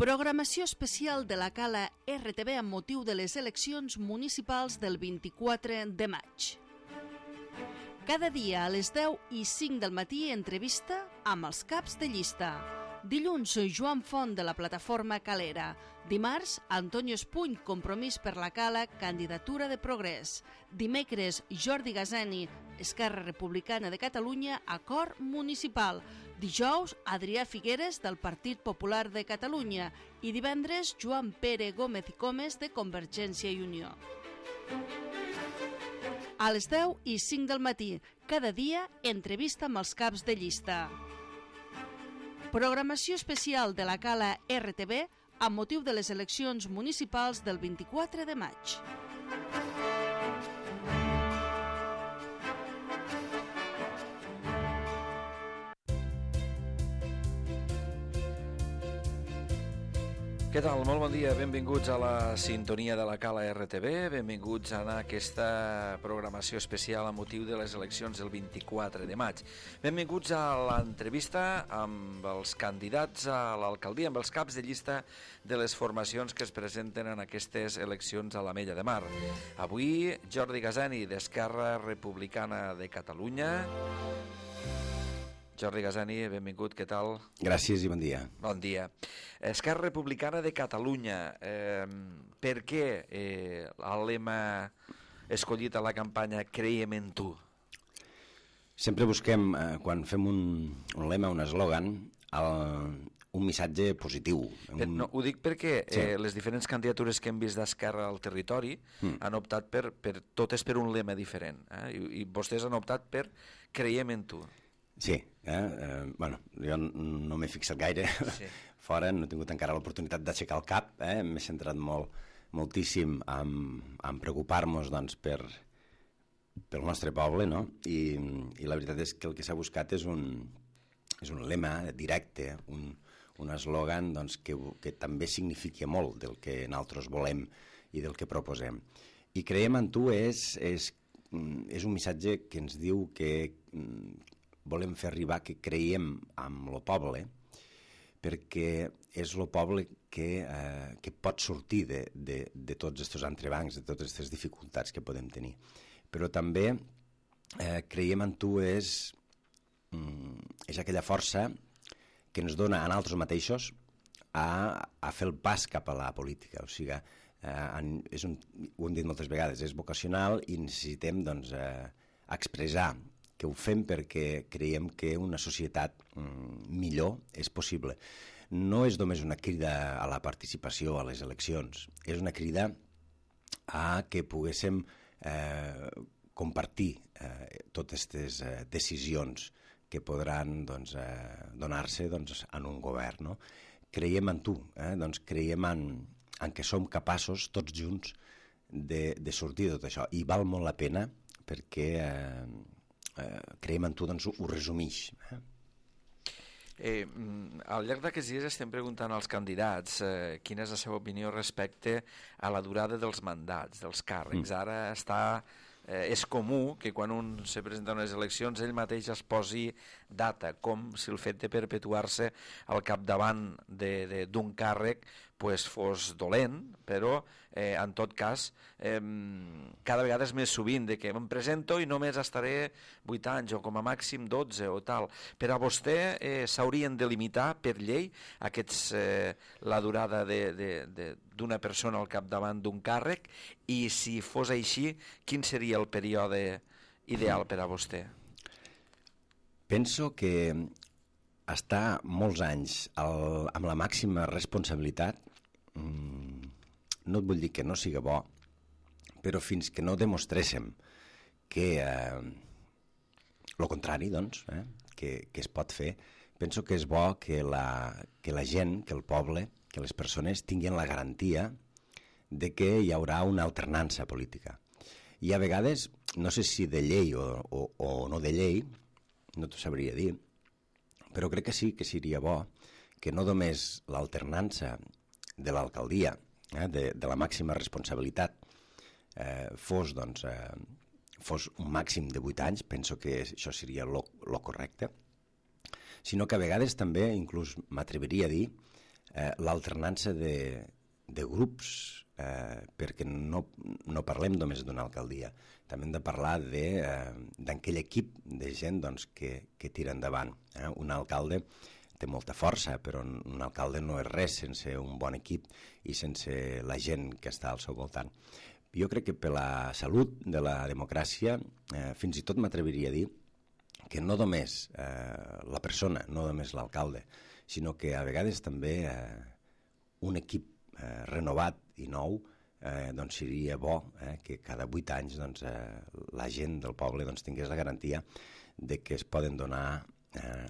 Programació especial de la Cala RTV amb motiu de les eleccions municipals del 24 de maig. Cada dia a les 10:05 del matí entrevista amb els caps de llista. Dilluns, Joan Font de la plataforma Calera. Dimarts, Antonio Espuny, Compromís per la Cala, candidatura de Progrés. Dimecres, Jordi Gazani, Esquerra Republicana de Catalunya, acord municipal. Dijous, Adrià Figueres, del Partit Popular de Catalunya. I divendres, Joan Pere Gómez i Comes, de Convergència i Unió. A les 10:05 del matí, cada dia, entrevista amb els caps de llista. Programació especial de la Cala RTV amb motiu de les eleccions municipals del 24 de maig. Què tal? Molt bon dia, benvinguts a la sintonia de la Cala RTV, benvinguts a aquesta programació especial a motiu de les eleccions del 24 de maig. Benvinguts a l'entrevista amb els candidats a l'alcaldia, amb els caps de llista de les formacions que es presenten en aquestes eleccions a l'Ametlla de Mar. Avui, Jordi Gazani, d'Esquerra Republicana de Catalunya. Jordi Gazani, benvingut, què tal? Gràcies i bon dia. Bon dia. Esquerra Republicana de Catalunya, per què el lema escollit a la campanya Creiem en tu? Sempre busquem, quan fem un lema, un eslògan, un missatge positiu. No, ho dic perquè les diferents candidatures que hem vist d'Esquerra al territori han optat totes per un lema diferent, i vostès han optat per Creiem en tu. Sí, bueno, jo no m'he fixat gaire fora, no he tingut encara l'oportunitat d'aixecar el cap, m'he centrat moltíssim en preocupar-nos doncs, pel nostre poble, no? I la veritat és que el que s'ha buscat és un lema directe, un eslògan doncs, que també significa molt del que nosaltres volem i del que proposem. I Creiem en tu és un missatge que ens diu que volem fer arribar que creiem en el poble, perquè és el poble que pot sortir de tots aquests entrebancs, de totes aquestes dificultats que podem tenir. Però també creiem en tu és aquella força que ens dona a nosaltres mateixos a fer el pas cap a la política. O sigui, ho hem dit moltes vegades, és vocacional i necessitem doncs, expressar que ho fem perquè creiem que una societat millor és possible. No és només una crida a la participació a les eleccions, és una crida a que poguéssim compartir totes aquestes decisions que podran doncs, donar-se doncs, en un govern. No? Creiem en tu, doncs creiem en que som capaços tots junts de sortir de tot això, i val molt la pena perquè Creiem en tu doncs, ho resumeix. Al llarg d'aquests dies estem preguntant als candidats quina és la seva opinió respecte a la durada dels mandats, dels càrrecs. Ara és comú que quan un se presenta a unes eleccions ell mateix es posi data, com si el fet de perpetuar-se al capdavant d'un càrrec fos dolent, però en tot cas cada vegada és més sovint de que em presento i només estaré 8 anys o com a màxim 12 o tal. Per a vostè s'haurien de limitar per llei la durada d'una persona al capdavant d'un càrrec, i si fos així, quin seria el període ideal per a vostè? Penso que estar molts anys amb la màxima responsabilitat, no et vull dir que no siga bo, però fins que no demostréssim que el contrari, doncs, que es pot fer, penso que és bo que la gent, que el poble, que les persones tinguin la garantia de que hi haurà una alternança política. I a vegades, no sé si de llei o no de llei, no t'ho sabria dir, però crec que sí que seria bo que no només l'alternança de l'alcaldia, de la màxima responsabilitat, fos un màxim de 8 anys, penso que això seria lo correcte, sinó que a vegades també, inclús m'atreviria a dir, l'alternança de grups, perquè no parlem només d'una alcaldia, també hem de parlar d'aquell equip de gent doncs, que tira endavant. Un alcalde té molta força, però un alcalde no és res sense un bon equip i sense la gent que està al seu voltant. Jo crec que per la salut de la democràcia, fins i tot m'atreviria a dir que no només la persona, no només l'alcalde, sinó que a vegades també un equip renovat i nou doncs seria bo que cada 8 anys doncs, la gent del poble doncs, tingués la garantia de que es poden donar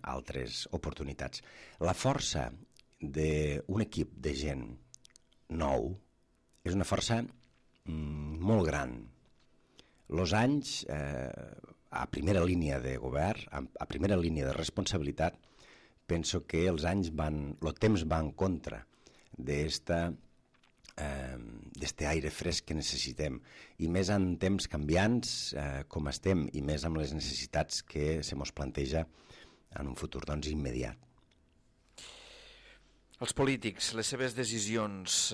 altres oportunitats. La força d'un equip de gent nou és una força molt gran. Els anys a primera línia de govern, a primera línia de responsabilitat, penso que el temps va en contra d'este aire fresc que necessitem, i més en temps canviants com estem, i més amb les necessitats que se mos planteja en un futur doncs, immediat. Els polítics, les seves decisions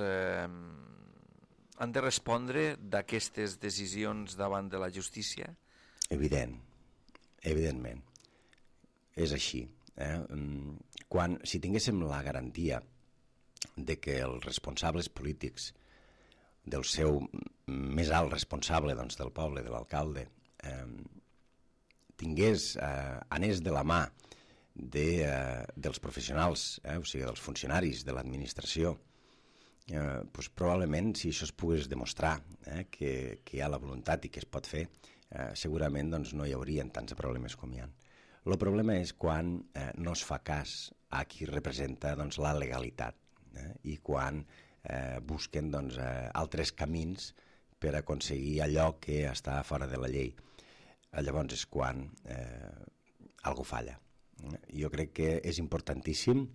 han de respondre d'aquestes decisions davant de la justícia? Evidentment. És així. Si tinguéssim la garantia de que els responsables polítics, del seu més alt responsable doncs, del poble, de l'alcalde, anés de la mà dels professionals, o sigui, dels funcionaris de l'administració, doncs probablement si això es pogués demostrar que hi ha la voluntat i que es pot fer, segurament doncs, no hi haurien tants problemes com hi ha. El problema és quan no es fa cas a qui representa doncs, la legalitat i quan busquen doncs, altres camins per aconseguir allò que està fora de la llei. Llavors és quan algú falla. Jo crec que és importantíssim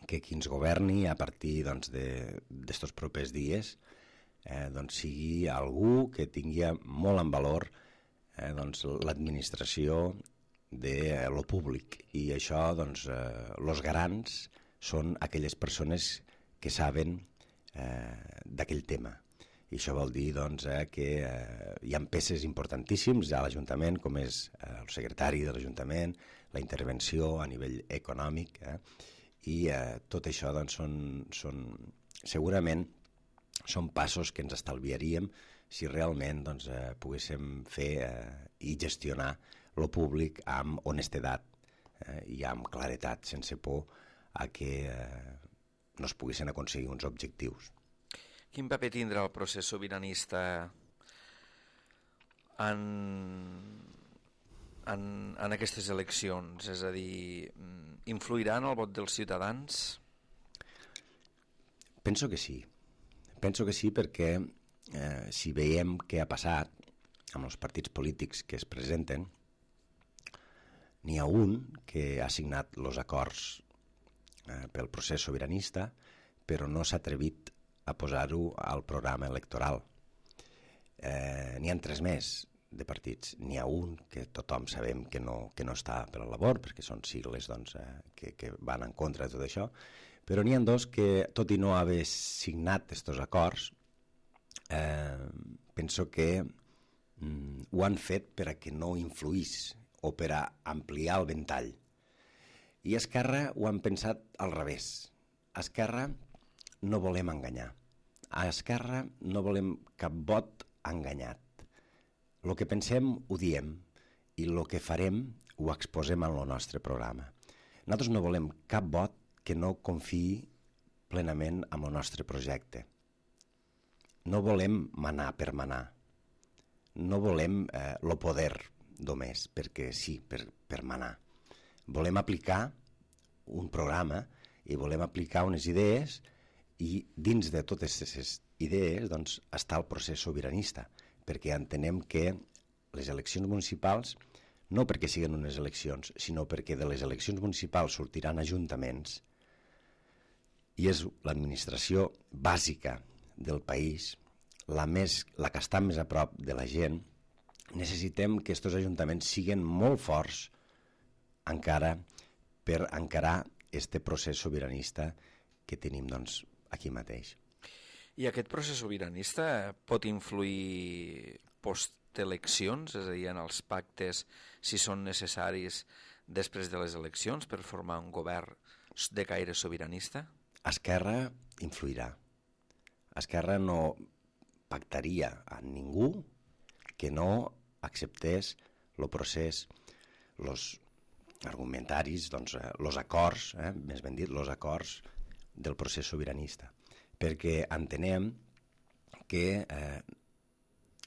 que qui ens governi a partir d'estos propers dies sigui algú que tingui molt en valor l'administració de lo públic, i això, els garants són aquelles persones que saben d'aquell tema. I això vol dir que hi ha peces importantíssims a l'Ajuntament, com és el secretari de l'Ajuntament, la intervenció a nivell econòmic, i tot això segurament són passos que ens estalviaríem si realment poguéssim fer i gestionar lo públic amb honestedat i amb claretat, sense por a que no es poguessin aconseguir uns objectius. Quin paper tindrà el procés sobiranista en aquestes eleccions? És a dir, influirà en el vot dels ciutadans? Penso que sí. Penso que sí perquè si veiem què ha passat amb els partits polítics que es presenten, n'hi ha un que ha signat els acords pel procés sobiranista, però no s'ha atrevit a posar-ho al programa electoral. N'hi ha 3 més de partits. N'hi ha un que tothom sabem que no està per la labor, perquè són sigles que van en contra de tot això, però n'hi ha 2 que, tot i no haver signat aquests acords, penso que ho han fet per a que no influís o per a ampliar el ventall. I a Esquerra ho han pensat al revés. A Esquerra no volem enganyar. A Esquerra no volem cap vot enganyat. El que pensem ho diem i el que farem ho exposem en el nostre programa. Nosaltres no volem cap vot que no confiï plenament en el nostre projecte. No volem manar per manar. No volem el poder només perquè sí, per manar. Volem aplicar un programa i volem aplicar unes idees, i dins de totes aquestes idees està el procés sobiranista, perquè entenem que les eleccions municipals, no perquè siguin unes eleccions, sinó perquè de les eleccions municipals sortiran ajuntaments, i és l'administració bàsica del país, la que està més a prop de la gent. Necessitem que aquests ajuntaments siguin molt forts encara per encarar este procés sobiranista que tenim doncs, aquí mateix. I aquest procés sobiranista pot influir posteleccions, és a dir, en els pactes, si són necessaris després de les eleccions per formar un govern de caire sobiranista? Esquerra influirà. Esquerra no pactaria amb ningú que no acceptés el procés, els argumentaris, doncs, els acords, més ben dit, els acords del procés sobiranista. Perquè entenem que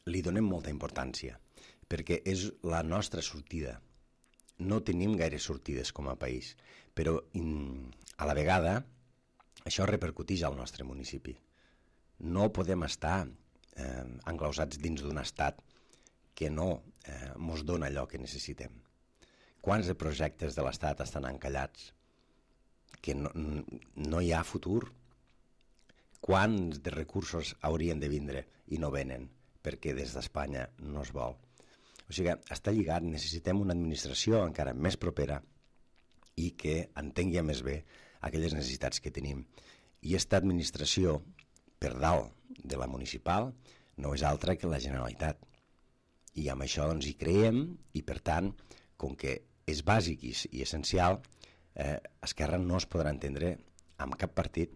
li donem molta importància, perquè és la nostra sortida. No tenim gaire sortides com a país, però a la vegada això repercuteix al nostre municipi. No podem estar enclausats dins d'un estat que no ens dona allò que necessitem. Quants de projectes de l'estat estan encallats que no hi ha futur? Quants de recursos haurien de vindre i no venen perquè des d'Espanya no es vol? O sigui, està lligat, necessitem una administració encara més propera i que entengui més bé aquelles necessitats que tenim. I aquesta administració, per dalt de la municipal, no és altra que la Generalitat. I amb això doncs, hi creiem i, per tant, com que és bàsic i essencial, Esquerra no es podrà entendre amb cap partit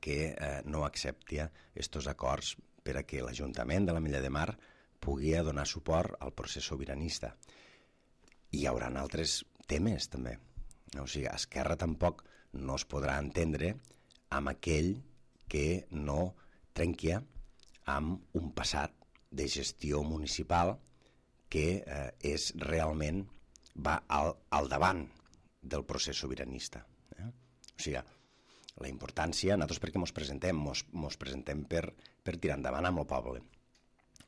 que no accepti aquests acords per a que l'Ajuntament de l'Ametlla de Mar pugui donar suport al procés sobiranista. I hi haurà altres temes, també. O sigui, Esquerra tampoc no es podrà entendre amb aquell que no trenqui amb un passat de gestió municipal que és realment va al davant del procés sobiranista. O sigui, la importància, nosaltres perquè ens presentem? Ens presentem per tirar endavant amb el poble.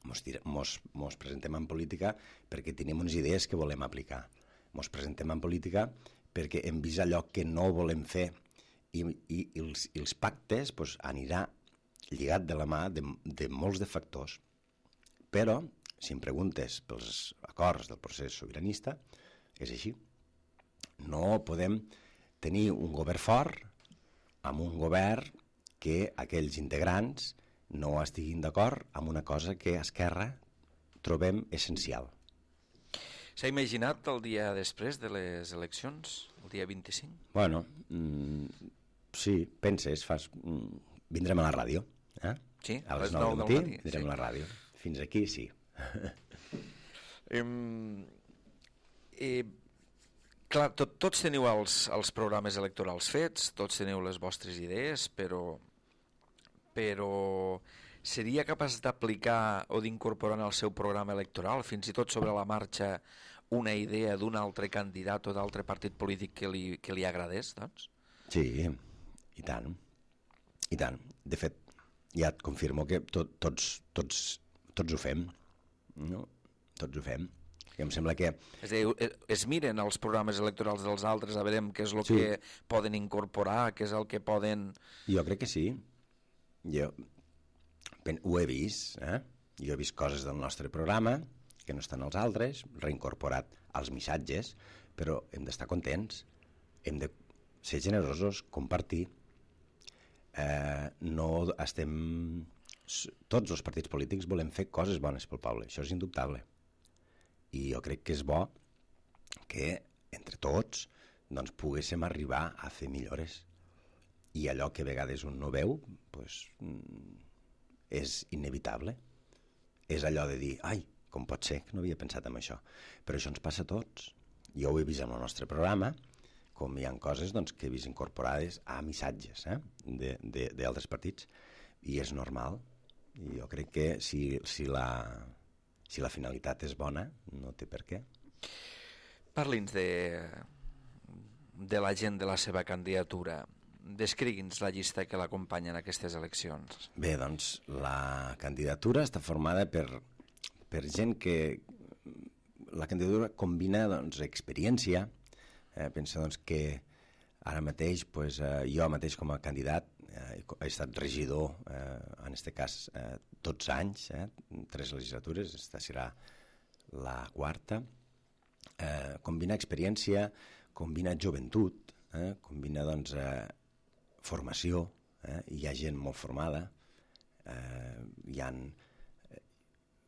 Ens presentem en política perquè tenim unes idees que volem aplicar. Ens presentem en política perquè hem vist allò que no volem fer i els pactes doncs, anirà lligat de la mà de molts de factors. Però, si em preguntes pels acords del procés sobiranista, és així. No podem tenir un govern fort amb un govern que aquells integrants no estiguin d'acord amb una cosa que a Esquerra trobem essencial. S'ha imaginat el dia després de les eleccions, el dia 25? Bueno, sí, penses, vindrem a la ràdio. Sí, a les 9 del matí vindrem a la ràdio. Fins aquí, sí. Clar, tots teniu els programes electorals fets, tots teniu les vostres idees, però seria capaç d'aplicar o d'incorporar en el seu programa electoral, fins i tot sobre la marxa, una idea d'un altre candidat o d'altre partit polític que li agradés, doncs? Sí, i tant. I tant. De fet, ja et confirmo que tots ho fem. No? Tots ho fem. I em sembla que... És a dir, es miren els programes electorals dels altres a veure què és el que poden incorporar, què és el que poden... Jo crec que sí. Jo ho he vist, Jo he vist coses del nostre programa que no estan als altres, reincorporat als missatges, però hem d'estar contents, hem de ser generosos, compartir. No estem... Tots els partits polítics volem fer coses bones pel poble, això és indubtable. I jo crec que és bo que, entre tots, doncs, poguéssim arribar a fer millores. I allò que a vegades un no veu, doncs, és inevitable. És allò de dir, ai, com pot ser que no havia pensat en això? Però això ens passa a tots. Jo ho he vist en el nostre programa, com hi ha coses doncs, que he vist incorporades a missatges d'altres partits, i és normal. I jo crec que si la finalitat és bona, no té per què. Parli'ns de la gent de la seva candidatura. Descrigui'ns la llista que l'acompanya en aquestes eleccions. Bé, doncs, la candidatura està formada per gent que... La candidatura combina doncs, experiència. Pensa doncs, que ara mateix, doncs, jo mateix com a candidat he estat regidor, en aquest cas, 12 anys, 3 legislatures, aquesta serà la 4ª. Combina experiència, combina joventut, combina doncs, formació, hi ha gent molt formada, hi ha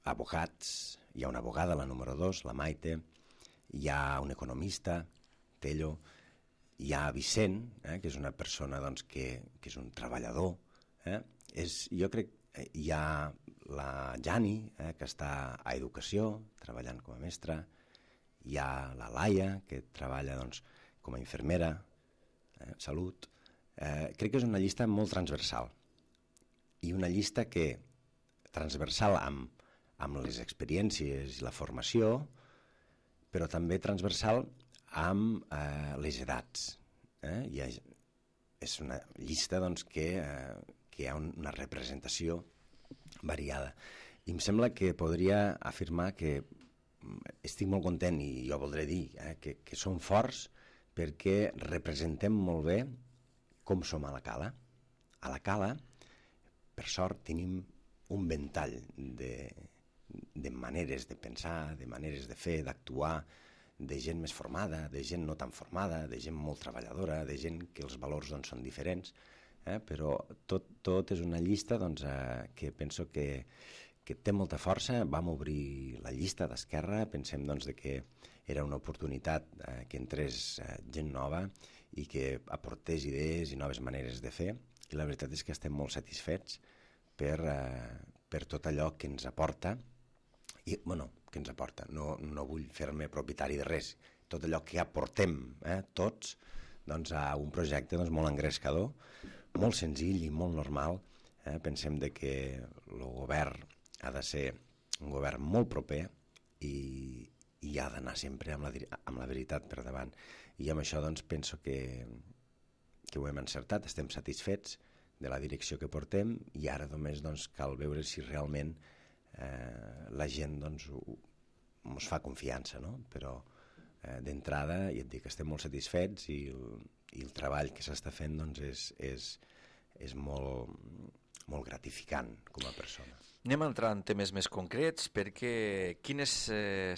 advocats, hi ha una abogada, la número 2, la Maite, hi ha un economista, Tello, hi ha Vicent, que és una persona doncs, que és un treballador, jo crec que hi ha la Jani, que està a Educació, treballant com a mestra, hi ha la Laia, que treballa doncs, com a infermera, Salut. Crec que és una llista molt transversal, i una llista que transversal amb les experiències i la formació, però també transversal amb les edats. És una llista doncs, que hi ha una representació variada. I em sembla que podria afirmar que estic molt content, i jo voldré dir que som forts perquè representem molt bé com som a la Cala. A la Cala, per sort, tenim un ventall de maneres de pensar, de maneres de fer, d'actuar, de gent més formada, de gent no tan formada, de gent molt treballadora, de gent que els valors doncs, són diferents, però tot és una llista doncs, que penso que té molta força. Vam obrir la llista d'Esquerra, pensem doncs, que era una oportunitat que entrés gent nova i que aportés idees i noves maneres de fer, i la veritat és que estem molt satisfets per tot allò que ens aporta, i, que ens aporta, no vull fer-me propietari de res, tot allò que aportem tots doncs, a un projecte doncs, molt engrescador, molt senzill i molt normal. Pensem que el govern ha de ser un govern molt proper i ha d'anar sempre amb la veritat per davant. I amb això doncs, penso que ho hem encertat, estem satisfets de la direcció que portem, i ara només doncs, cal veure si realment la gent doncs, ens fa confiança, no? Però d'entrada, ja et dic, estem molt satisfets, i el treball que s'està fent doncs, és molt gratificant com a persona. Anem a entrar en temes més concrets, perquè quines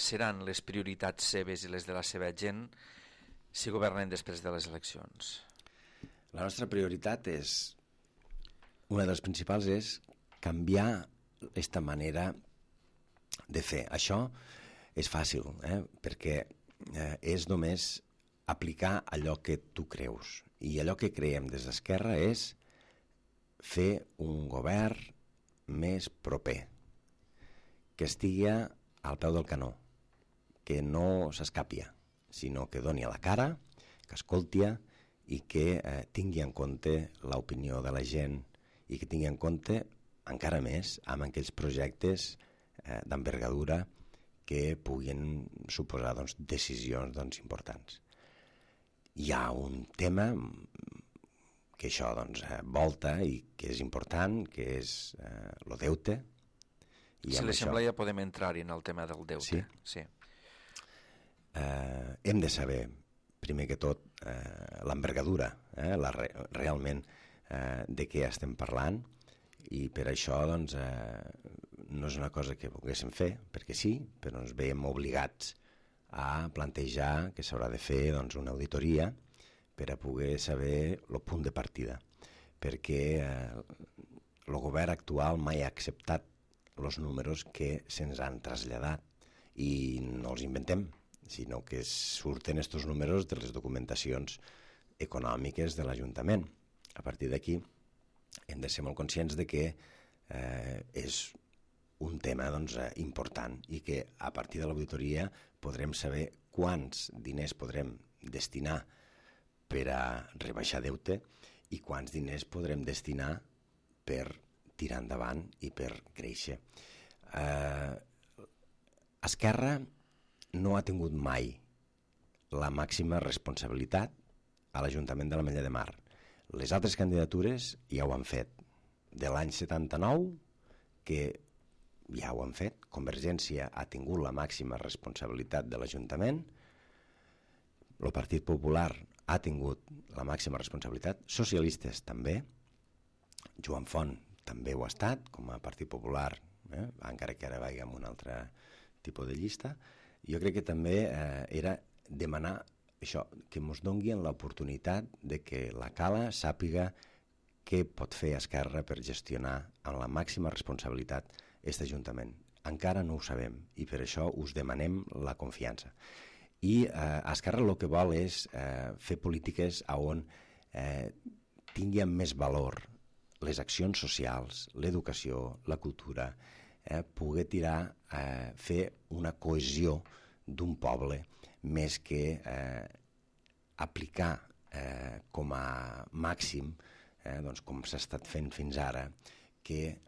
seran les prioritats seves i les de la seva gent si governen després de les eleccions? La nostra prioritat una de les principals és canviar aquesta manera de fer. Això és fàcil, perquè és només aplicar allò que tu creus. I allò que creiem des d'Esquerra és fer un govern més proper, que estigui al peu del canó, que no s'escapia, sinó que doni a la cara, que escolti i que tingui en compte l'opinió de la gent, i que tingui en compte encara més amb aquells projectes d'envergadura que puguin suposar doncs, decisions doncs, importants. Hi ha un tema que això doncs, volta i que és important, que és el deute. Si li sembla ja podem entrar-hi en el tema del deute. Sí. Hem de saber, primer que tot, l'envergadura, realment de què estem parlant, i per això doncs, no és una cosa que volguéssim fer, perquè sí, però ens veiem obligats a plantejar que s'haurà de fer doncs, una auditoria per a poder saber el punt de partida, perquè el govern actual mai ha acceptat els números que se'ns han traslladat, i no els inventem, sinó que surten aquests números de les documentacions econòmiques de l'Ajuntament. A partir d'aquí hem de ser molt conscients de que és un tema doncs, important, i que a partir de l'auditoria podrem saber quants diners podrem destinar per a rebaixar deute i quants diners podrem destinar per tirar endavant i per créixer. Esquerra no ha tingut mai la màxima responsabilitat a l'Ajuntament de l'Ametlla de Mar. Les altres candidatures ja ho han fet. De l'any 79, que ja ho han fet, Convergència ha tingut la màxima responsabilitat de l'Ajuntament, el Partit Popular ha tingut la màxima responsabilitat, socialistes també, Joan Font també ho ha estat, com a Partit Popular, encara que ara vagi amb un altre tipus de llista. Jo crec que també era demanar això, que ens donguin l'oportunitat de que la Cala sàpiga què pot fer Esquerra per gestionar amb la màxima responsabilitat aquest Ajuntament. Encara no ho sabem i per això us demanem la confiança. I Esquerra el que vol és fer polítiques on tinguin més valor les accions socials, l'educació, la cultura, poder fer una cohesió d'un poble més que aplicar com a màxim, doncs com s'ha estat fent fins ara, que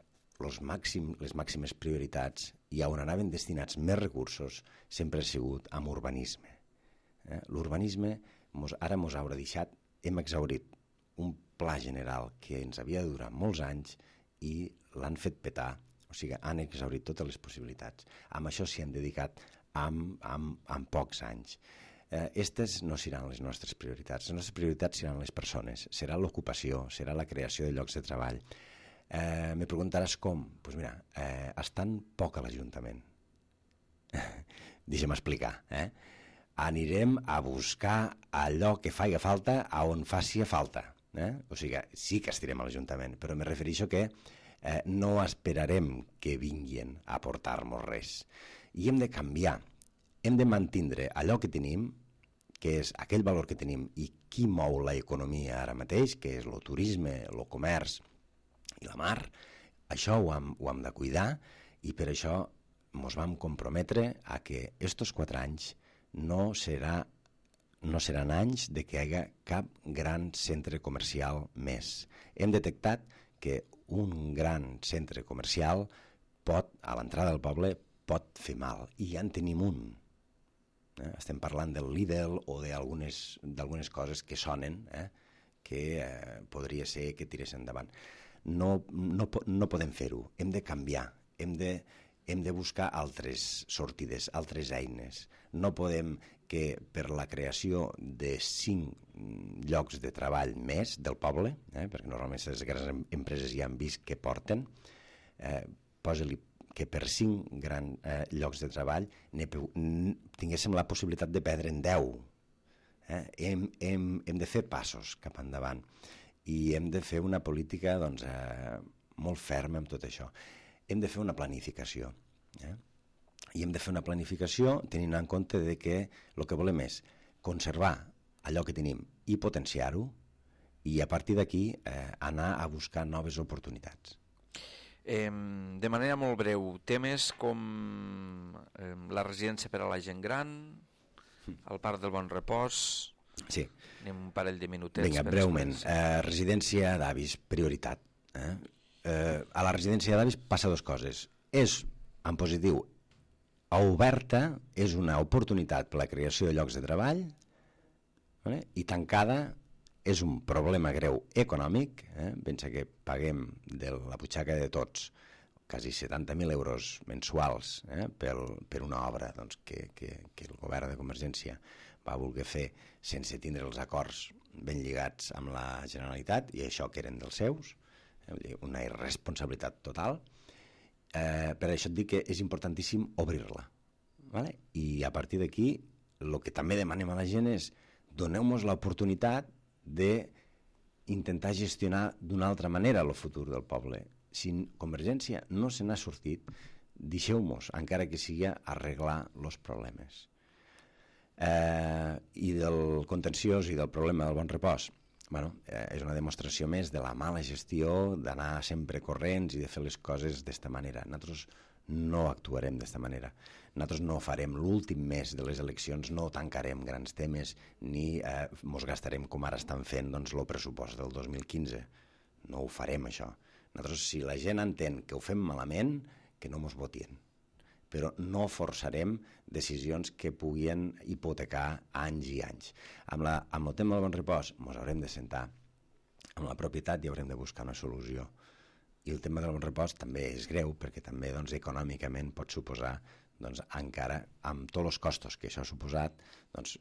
les màximes prioritats i on anaven destinats més recursos sempre ha sigut amb urbanisme. L'urbanisme ara ens haurà deixat, hem exhaurit un pla general que ens havia de durar molts anys i l'han fet petar, o sigui, han exhaurit totes les possibilitats. Amb això s'hi han dedicat en pocs anys. Aquestes no seran les nostres prioritats. Les nostres prioritats seran les persones, serà l'ocupació, serà la creació de llocs de treball. Me preguntaràs com? Doncs mira, estan poc a l'Ajuntament. Deixa'm explicar. Anirem a buscar allò que faci falta a on faci falta. O sigui, sí que estirem a l'Ajuntament, però me refereixo que no esperarem que vinguin a portar-nos res. I hem de canviar, hem de mantindre allò que tenim, que és aquell valor que tenim i qui mou l'economia ara mateix, que és el turisme, el comerç i la mar. Això ho hem de cuidar i per això ens vam comprometre a que estos 4 anys no seran anys de que hi hagi cap gran centre comercial més. Hem detectat que un gran centre comercial a l'entrada del poble pot fer mal, i ja en tenim un. Estem parlant del Lidl o d'algunes coses que sonen, que podria ser que tirés endavant. No podem fer-ho, hem de canviar, hem de buscar altres sortides, altres eines. No podem que per la creació de 5 llocs de treball més del poble, perquè normalment les grans empreses ja han vist que porten, posa-li que per 5 grans llocs de treball tinguéssim la possibilitat de perdre en 10. Hem de fer passos cap endavant i hem de fer una política molt ferma amb tot això. Hem de fer una planificació. I hem de fer una planificació tenint en compte que el que volem és conservar allò que tenim i potenciar-ho, i a partir d'aquí anar a buscar noves oportunitats. De manera molt breu, temes com la residència per a la gent gran, el Parc del Bon Repòs... Sí. Anem un parell de minutets. Vinga, breument. Residència d'avis, prioritat. A la residència d'avis passa 2 coses. És, en positiu, oberta, és una oportunitat per a la creació de llocs de treball, i tancada és un problema greu econòmic. Pensa que paguem de la butxaca de tots quasi 70.000 euros mensuals per una obra que el govern de Convergència va voler fer sense tindre els acords ben lligats amb la Generalitat, i això que eren dels seus, una irresponsabilitat total. Per això et dic que és importantíssim obrir-la. I a partir d'aquí el que també demanem a la gent és doneu-nos l'oportunitat d'intentar gestionar d'una altra manera el futur del poble. Si Convergència no se n'ha sortit, deixeu-nos, encara que sigui, arreglar els problemes. I del contenciós i del problema del Bon Repòs, és una demostració més de la mala gestió, d'anar sempre corrents i de fer les coses d'esta manera. Nosaltres no actuarem d'esta manera. Nosaltres no farem l'últim mes de les eleccions, no tancarem grans temes ni ens gastarem, com ara estan fent, el pressupost del 2015. No ho farem, això. Nosaltres, si la gent entén que ho fem malament, que no ens votin. Però no forçarem decisions que puguin hipotecar anys i anys. Amb el tema del Bon Repòs ens haurem de sentar amb la propietat i haurem de buscar una solució. I el tema del Bon Repòs també és greu, perquè també econòmicament pot suposar, encara amb tots els costos que això ha suposat,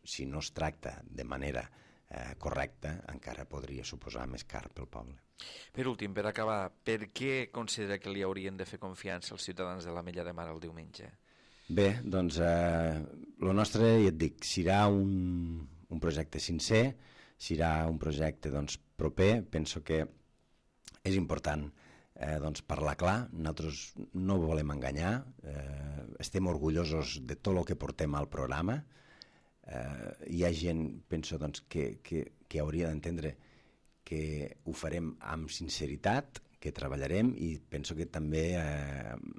si no es tracta de manera correcta, encara podria suposar més car pel poble. Per últim, per acabar, per què considera que li haurien de fer confiança els ciutadans de l'Ametlla de Mar el diumenge? Bé, el nostre, ja et dic, serà un un projecte sincer, serà un projecte proper. Penso que és important parlar clar. Nosaltres no volem enganyar, estem orgullosos de tot el que portem al programa. Hi ha gent, penso, que hauria d'entendre que ho farem amb sinceritat, que treballarem, i penso que també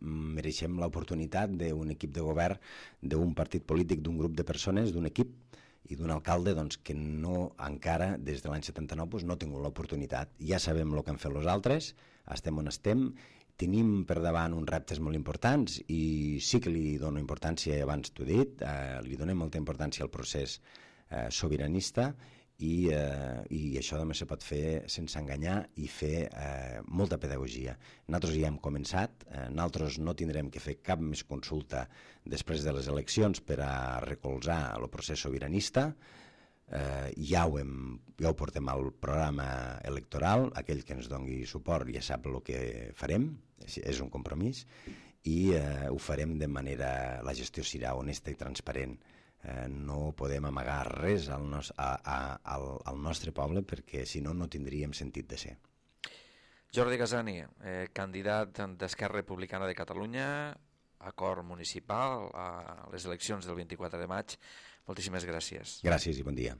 mereixem l'oportunitat d'un equip de govern, d'un partit polític, d'un grup de persones, d'un equip i d'un alcalde que no encara, des de l'any 79, no ha tingut l'oportunitat. Ja sabem el que han fet els altres, estem on estem, tenim per davant uns reptes molt importants i sí que li dono importància, abans t'ho he dit, li donem molta importància al procés sobiranista, i això també se pot fer sense enganyar i fer molta pedagogia. Nosaltres ja hem començat, nosaltres no tindrem que fer cap més consulta després de les eleccions per a recolzar el procés sobiranista. Ja ho portem al programa electoral, aquell que ens doni suport ja sap el que farem, és un compromís, i ho farem de manera... La gestió serà honesta i transparent. No podem amagar res al nostre poble, perquè si no, no tindríem sentit de ser. Jordi Gasani, candidat d'Esquerra Republicana de Catalunya, acord municipal a les eleccions del 24 de maig. Moltíssimes gràcies. Gràcies i bon dia.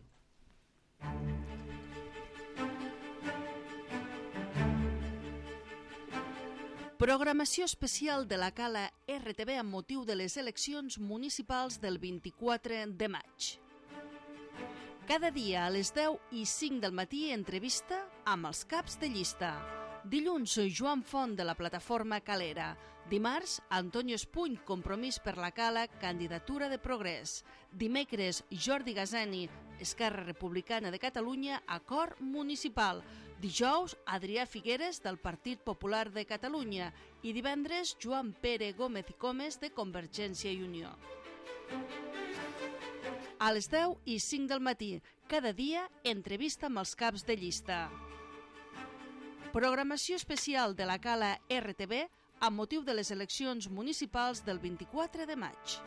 Programació especial de la Cala RTV amb motiu de les eleccions municipals del 24 de maig. Cada dia a les 10 i 5 del matí entrevista amb els caps de llista. Dilluns, Joan Font, de la plataforma Calera. Dimarts, Antonio Espuny, Compromís per la Cala, candidatura de Progrés. Dimecres, Jordi Gasani, Esquerra Republicana de Catalunya, acord municipal. Dijous, Adrià Figueres, del Partit Popular de Catalunya. I divendres, Joan Pere Gómez i Comes, de Convergència i Unió. A les 10 i 5 del matí, cada dia, entrevista amb els caps de llista. Programació especial de la Cala RTV amb motiu de les eleccions municipals del 24 de maig.